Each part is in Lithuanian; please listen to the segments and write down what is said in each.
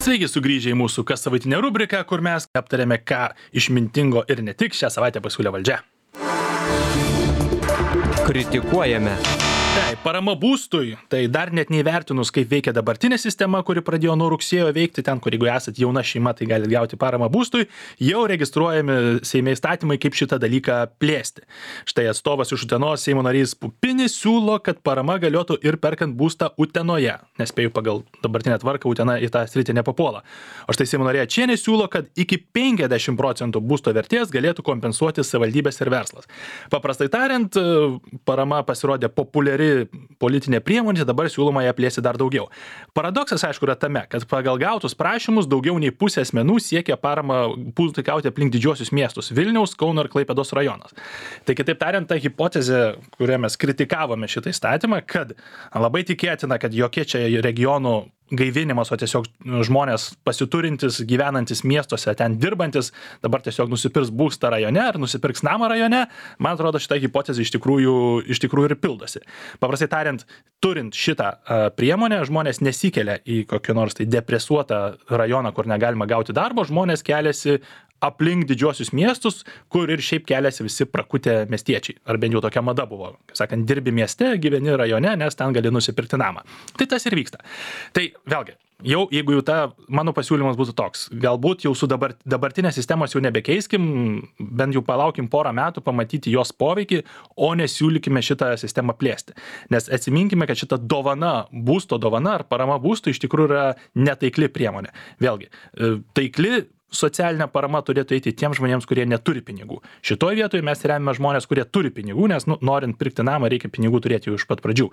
Sveiki sugrįžę į mūsų kas savaitinę rubriką, kur mes aptarėme, ką išmintingo ir ne tik šią savaitę pasiūlė valdžia. Kritikuojame. Tai parama būstui, tai dar net neįvertinus, kaip veikia dabartinė sistema, kuri pradėjo nuo rugsėjo veikti, ten, kur jeigu esate jauna šeima, tai galite gauti paramą būstui, jau registruojami Seime įstatymai, kaip šitą dalyką plėsti. Štai atstovas iš Utenos Seimo narys Pupinis siūlo, kad parama galiotų ir perkant būstą Utenoje. Nespėju, pagal dabartinę tvarką Utena į tą sritį nepapuola. O štai Seimo narė Ačienė siūlo, kad iki 50% būsto vertės galėtų kompensuoti savivaldybės ir verslas. Paprastai tariant, parama pasirodė populiari politinė priemonė, dabar siūloma ją plėsti dar daugiau. Paradoksas, aišku, yra tame, kad pagal gautus prašymus daugiau nei pusė asmenų siekia paramą būstui gauti aplink didžiuosius miestus - Vilniaus, Kauno ir Klaipėdos rajonas. Tai kitaip tariant, ta hipotezė, kurią mes kritikavome šitą įstatymą, kad labai tikėtina, kad jokie čia regionų gaivinimas, o tiesiog žmonės pasiturintis, gyvenantis miestuose, ten dirbantis, dabar tiesiog nusipirks būstą rajone ar nusipirks namą rajone, man atrodo, šitą hipotezę iš tikrųjų ir pildosi. Paprastai tariant, turint šitą priemonę, žmonės nesikelia į kokį nors tai depresuotą rajoną, kur negalima gauti darbo, žmonės keliasi aplink didžiuosius miestus, kur ir šiaip keliasi visi prakutę miestiečiai. Ar bent jau tokia mada buvo. Kaip sakant, dirbi mieste, gyveni rajone, nes ten gali nusipirkti namą. Tai tas ir vyksta. Tai vėlgi, jeigu jau mano pasiūlymas būtų toks, galbūt jau su dabartinės sistemos jau nebekeiskim, bent jau palaukim porą metų pamatyti jos poveikį, o nesiūlykime šitą sistemą plėsti. Nes atsiminkime, kad šita būsto dovana ar parama būstui iš tikrųjų yra netaikli priemonė. Vėlgi, taikli socialinė parama turėtų eiti tiems žmonėms, kurie neturi pinigų. Šitoj vietoje mes remiame žmonės, kurie turi pinigų, nes norint pirkti namą, reikia pinigų turėti jau iš pat pradžių.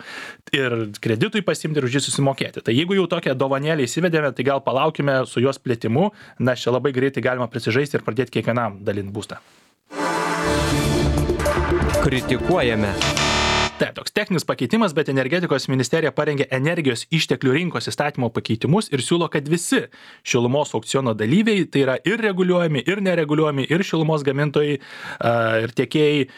Ir kreditui pasimti ir už jį susimokėti. Tai jeigu jau tokią dovanėlę įsivedėme, tai gal palaukime su jos plėtimu, nes čia labai greitai galima prisižaisti ir pradėti kiekvienam dalinti būstą. Kritikuojame. Taip, toks techninis pakeitimas, bet energetikos ministerija parengė energijos išteklių rinkos įstatymo pakeitimus ir siūlo, kad visi šilumos aukciono dalyviai, tai yra ir reguliuojami, ir nereguliuojami, ir šilumos gamintojai, ir tiekėjai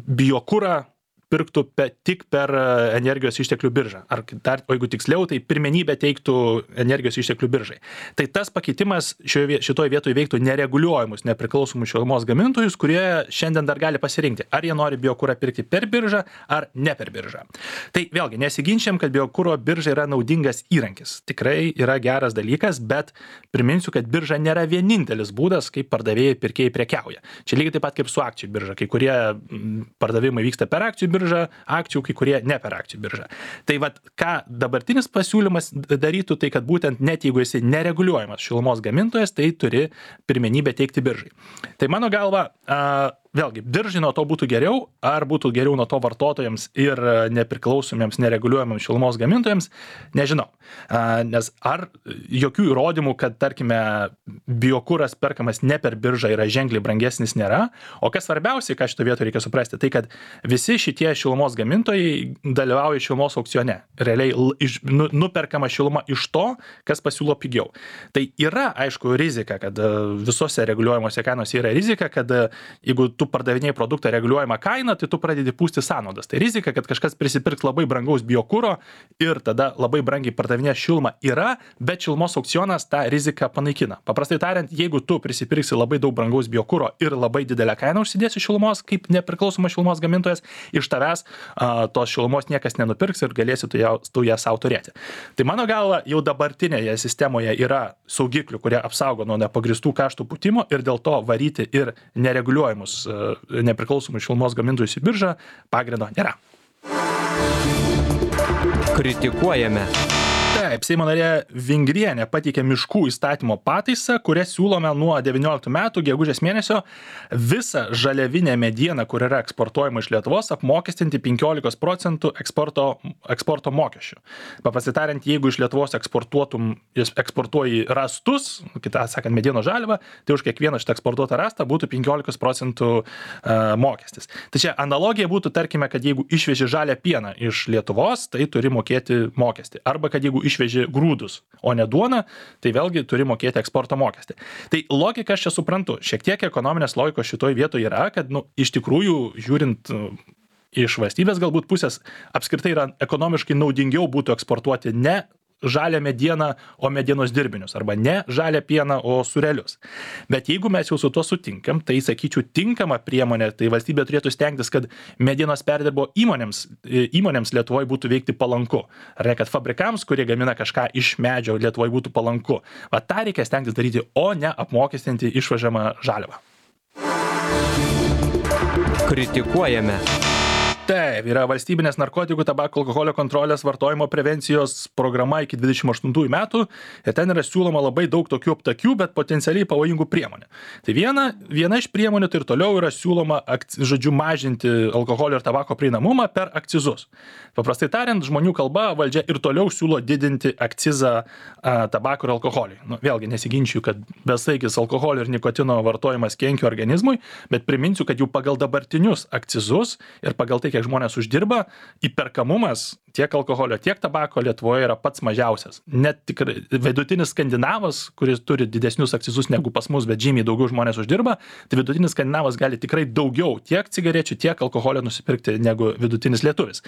biokurą pirktų tik per energijos išteklių biržą. Ar dar, o jeigu tiksliau, tai pirmenybę teiktų energijos išteklių biržai. Tai tas pakeitimas šitoje vietoje veiktų nereguliuojamus, nepriklausomus šilumos gamintojus, kurie šiandien dar gali pasirinkti, ar jie nori biokurą pirkti per biržą ar ne per biržą. Tai vėlgi, nesiginčiam, kad biokuro birža yra naudingas įrankis. Tikrai yra geras dalykas, bet priminsiu, kad birža nėra vienintelis būdas, kaip pardavėjai pirkėjai prekiauja. Čia lygiai taip pat kaip su akcijų birža. Kai kurie pardavimai vyksta per akcijų akcijų, kai kurie ne per akcijų biržą. Tai vat, ką dabartinis pasiūlymas darytų, tai kad būtent net jeigu esi nereguliuojamas šilumos gamintojas, tai turi pirmenybę teikti biržai. Tai mano galva, vėlgi, biržai nuo to būtų geriau, ar būtų geriau nuo to vartotojams ir nepriklausomiems, nereguliuojamiems šilumos gamintojams, nežinau. Nes ar jokių įrodymų, kad, tarkime, biokuras perkamas ne per biržą yra ženkliai brangesnis nėra, o kas svarbiausiai, ką šito vietoje reikia suprasti, tai kad visi šitie šilumos gamintojai dalyvauja šilumos aukcione. Realiai nuperkama šiluma iš to, kas pasiūlo pigiau. Tai yra, aišku, rizika, kad visose reguliuojamuose kainose yra rizika, kad jeigu tu pardavinėjai produktą reguliuojamą kainą, tai tu pradedi pūsti sąnaudas. Tai rizika, kad kažkas prisipirks labai brangaus biokuro ir tada labai brangiai pardavinės šilumą yra, bet šilumos aukcionas tą riziką panaikina. Paprastai tariant, jeigu tu prisipirksi labai daug brangaus biokuro ir labai didelę kainą užsidėsi šilumos kaip nepriklausomas šilumos gamintojas, iš tavęs tos šilumos niekas nenupirks ir galėsi tu ją savo turėti. Tai mano galva, jau dabartinėje sistemoje yra saugiklių, kurie apsaugo nuo nepagristų kaštų pūtimo ir dėl to varyti ir nereguliuojamus nepriklausomus šilumos gamintojus į biržą pagrindo nėra. Kritikuojame. Taip, Seimo narė Vingrienė pateikė miškų įstatymo pataisą, kurią siūlome nuo 19 metų gegužės mėnesio visą žaliavinę medieną, kur yra eksportuojama iš Lietuvos, apmokestinti 15% eksporto mokesčių. Paprastai tariant, jeigu iš Lietuvos eksportuoji rastus, kitą sakant, medienos žaliavą, tai už kiekvieną šitą eksportuotą rastą būtų 15% mokestis. Tai čia analogija būtų, tarkime, kad jeigu išveži žalią pieną iš Lietuvos, tai turi mokėti mokestį. Arba kad jeigu išveži grūdus, o ne duoną, tai vėlgi turi mokėti eksporto mokestį. Tai logika aš čia suprantu. Šiek tiek ekonominės logikos šitoj vietoje yra, kad iš tikrųjų žiūrint iš valstybės galbūt pusės apskritai yra ekonomiškai naudingiau būtų eksportuoti ne žalią medieną, o medienos dirbinius, arba ne žalią pieną, o sūrelius. Bet jeigu mes jau su tuo sutinkam, tai sakyčiau tinkama priemonė, tai valstybė turėtų stengtis, kad medienos perdirbo įmonėms Lietuvoje būtų veikti palanku. Ar ne, kad fabrikams, kurie gamina kažką iš medžio, Lietuvoje būtų palanku. Va tą reikia stengtis daryti, o ne apmokestinti išvežamą žaliavą. Kritikuojame. Taip, yra valstybinės narkotikų, tabako, alkoholio kontrolės, vartojimo prevencijos programa iki 28 metų ir ten yra siūloma labai daug tokių aptakių, bet potencialiai pavojingų priemonių. Tai viena iš priemonių tai ir toliau yra siūloma, mažinti alkoholio ir tabako prieinamumą per akcizus. Paprastai tariant, žmonių kalba valdžia ir toliau siūlo didinti akcizą tabako ir alkoholiui. Vėlgi nesiginčiu, kad besaikis alkoholio ir nikotino vartojimas kenkia organizmui, bet priminsiu, kad jau pagal dabartinius akcizus ir pagal tai, kiek žmonės uždirba, įperkamumas tiek alkoholio, tiek tabako Lietuvoje yra pats mažiausias. Net tikrai vidutinis skandinavas, kuris turi didesnius akcizus negu pas mus, bet žymiai daugiau žmonės uždirba, tai vidutinis skandinavas gali tikrai daugiau tiek cigarečių, tiek alkoholio nusipirkti negu vidutinis lietuvis.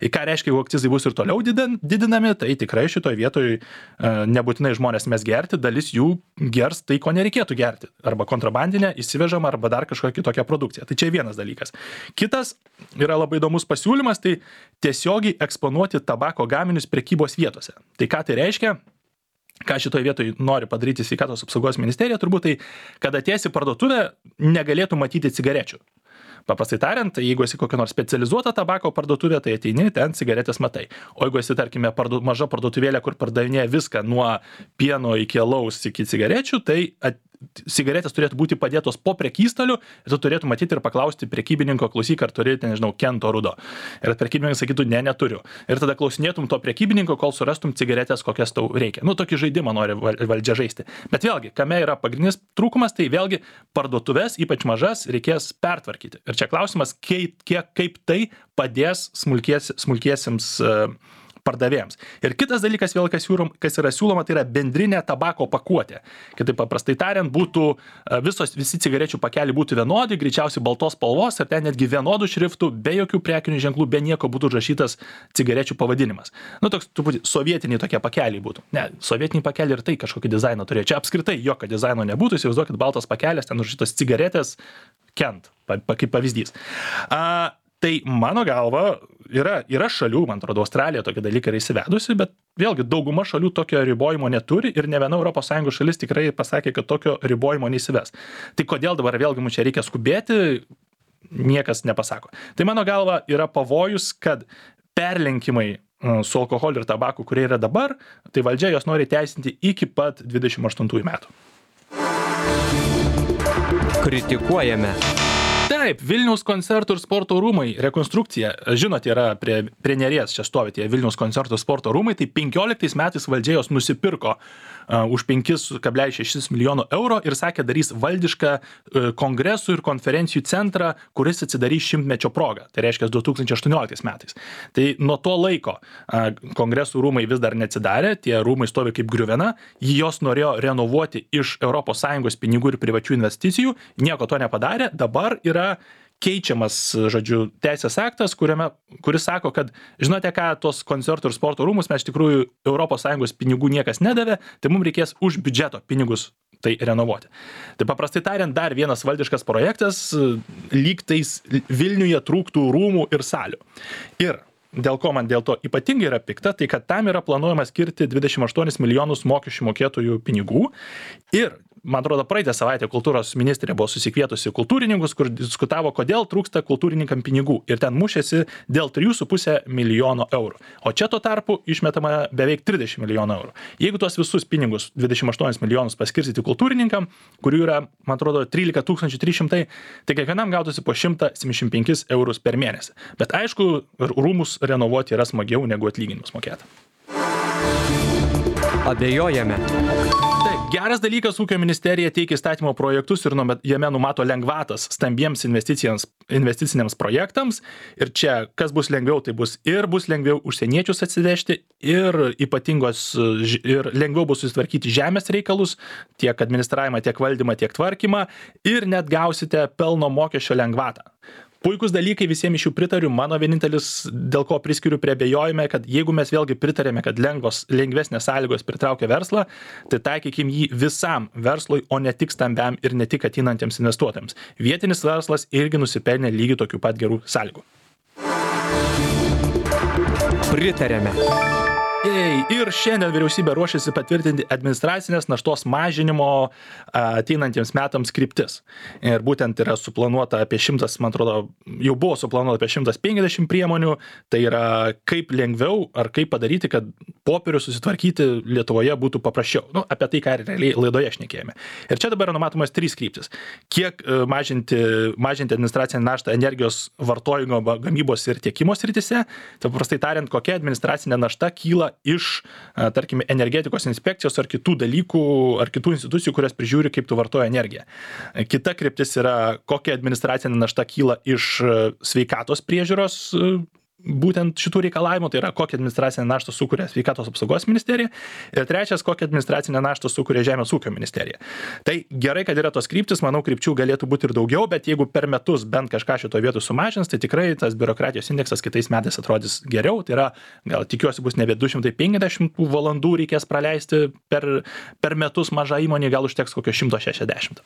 Ir ką reiškia, jeigu akcizai bus ir toliau didinami, tai tikrai šitoj vietoj nebūtinai žmonės mes gerti, dalis jų gers tai, ko nereikėtų gerti. Arba kontrabandinę, įsivežamą, arba dar kažkokią kitokią produkciją. Tai čia vienas dalykas. Kitas yra labai įdomus pasiūlymas, tai tiesiogiai eksponuoti tabako gaminius prekybos vietose. Tai ką tai reiškia? Ką šitoje vietoje nori padaryti Sveikatos apsaugos ministerija, turbūt tai, kad atėjęs į parduotuvę negalėtų matyti cigarečių. Paprastai tariant, jeigu esi kokia nors specializuota tabako parduotuvė, tai ateini, ten cigaretės matai. O jeigu esi, tarkime, maža parduotuvėlė, kur pardavinėja viską nuo pieno iki alaus iki cigarečių, tai cigaretės turėtų būti padėtos po prekystaliu ir tu turėtų matyti ir paklausti prekybininko, klausyk, ar turi, nežinau, Kento rudo. Ir prekybininkas sakytų, ne, neturiu. Ir tada klausinėtum to prekybininko, kol surastum cigaretės, kokias tau reikia. Tokį žaidimą nori valdžia žaisti. Bet vėlgi, kame yra pagrindinis trūkumas, tai vėlgi parduotuvės, ypač mažas, reikės pertvarkyti. Ir čia klausimas, kaip tai padės smulkiesiems pardavėjams. Ir kitas dalykas, vėl kas yra siūloma, tai yra bendrinė tabako pakuotė. Kitaip paprastai tariant, būtų visi cigarečių pakeliai būtų vienodi, greičiausiai baltos spalvos ir ten netgi vienodų šriftų, be jokių prekinių ženklų, be nieko būtų užrašytas cigarečių pavadinimas. Toks truputį sovietiniai tokie pakeliai būtų. Ne, sovietiniai pakeliai ir tai kažkokį dizainą turėjo. Čia apskritai jokio dizaino nebūtų, įsivaizduokit baltas pakelis, ten užrašytos cigaretės, Kent, kaip pavyzdys. Tai mano galva yra šalių, man atrodo, Australija tokie dalykai yra įsivedusi, bet vėlgi dauguma šalių tokio ribojimo neturi ir ne viena ES šalis tikrai pasakė, kad tokio ribojimo neįsives. Tai kodėl dabar vėlgi mums čia reikia skubėti, niekas nepasako. Tai mano galva yra pavojus, kad perlenkimai su alkoholiu ir tabaku, kurie yra dabar, tai valdžia jos nori teisinti iki pat 28 metų. Kritikuojame. Taip, Vilniaus koncertų ir sporto rūmai rekonstrukcija. Žinote, yra prie Neries čia stovi tie Vilniaus koncertų ir sporto rūmai, tai 15 metais valdžia jos nusipirko už 5,6 milijono eurų ir sakė, darys valdišką kongresų ir konferencijų centrą, kuris atsidarys 100-mečio progą. Tai reiškia 2018 metais. Tai nuo to laiko kongresų rūmai vis dar neatsidarė, tie rūmai stovi kaip griuvena, jos norėjo renovuoti iš ES pinigų ir privačių investicijų, nieko to nepadarė, dabar yra keičiamas, žodžiu, teisės aktas, kuris sako, kad žinote ką, tos koncertų ir sporto rūmus mes iš tikrųjų ES pinigų niekas nedavė, tai mums reikės už biudžeto pinigus tai renovuoti. Tai paprastai tariant, dar vienas valdiškas projektas, lyg tais Vilniuje trūktų rūmų ir salių. Ir dėl ko man dėl to ypatingai yra pikta, tai kad tam yra planuojama skirti 28 milijonus mokesčių mokėtojų pinigų ir man atrodo, praeitą savaitę kultūros ministrė buvo susikvietusi kultūrininkus, kur diskutavo, kodėl trūksta kultūrininkam pinigų. Ir ten mušėsi dėl 3,5 milijono eurų. O čia tuo tarpu išmetama beveik 30 milijonų eurų. Jeigu tuos visus pinigus, 28 milijonus paskirstyti kultūrininkam, kurių yra, man atrodo, 13 300, tai kiekvienam gautųsi po 175 eurus per mėnesį. Bet aišku, rūmus renovuoti yra smagiau negu atlyginimus mokėti. Abejojame. Geras dalykas, ūkio ministerija teikia įstatymo projektus ir jame numato lengvatas stambiems investiciniams projektams. Ir čia, kas bus lengviau, tai bus lengviau užsieniečius atsivežti ir lengviau bus susitvarkyti žemės reikalus, tiek administravimą, tiek valdymą, tiek tvarkymą ir net gausite pelno mokesčio lengvatą. puikus dalykai, visiems iš jų pritariu. Mano vienintelis, dėl ko priskiriu prie abejojime, kad jeigu mes vėlgi pritarėme, kad lengvesnės sąlygos pritraukia verslą, tai taikykim jį visam verslui, o ne tik stambiam ir ne tik ateinantiems investuotojams. Vietinis verslas irgi nusipelnė lygiai tokių pat gerų sąlygų. Pritarėme. Ir šiandien vyriausybė ruošiasi patvirtinti administracinės naštos mažinimo ateinantiems metams kryptis. Ir būtent yra suplanuota apie 100, man atrodo, jau buvo suplanuota apie 150 priemonių. Tai yra kaip lengviau ar kaip padaryti, kad popierių susitvarkyti Lietuvoje būtų paprasčiau. Apie tai, ką realiai laidoje šnekėjome. Ir čia dabar yra numatomas 3 kryptis. Kiek mažinti administracinę naštą energijos vartojimo, gamybos ir tiekimo srityse. Tai paprastai tariant, kokia administracinė našta kyla iš, tarkime, energetikos inspekcijos ar kitų dalykų, ar kitų institucijų, kurias prižiūri, kaip tu vartoja energiją. Kita kryptis yra, kokia administracinė našta kyla iš sveikatos priežiūros būtent šitų reikalavimų, tai yra kokią administracinę naštą sukuria sveikatos apsaugos ministerija. Ir trečias, kokią administracinę naštą sukuria Žemės ūkio ministerija. Tai gerai, kad yra tos kryptis, manau, krypčių galėtų būti ir daugiau, bet jeigu per metus bent kažką šito vietų sumažins, tai tikrai tas biurokratijos indeksas kitais metais atrodys geriau. Tai yra, gal tikiuosi, bus nebe 250 valandų reikės praleisti per metus mažą įmonį, gal užteks kokio 160.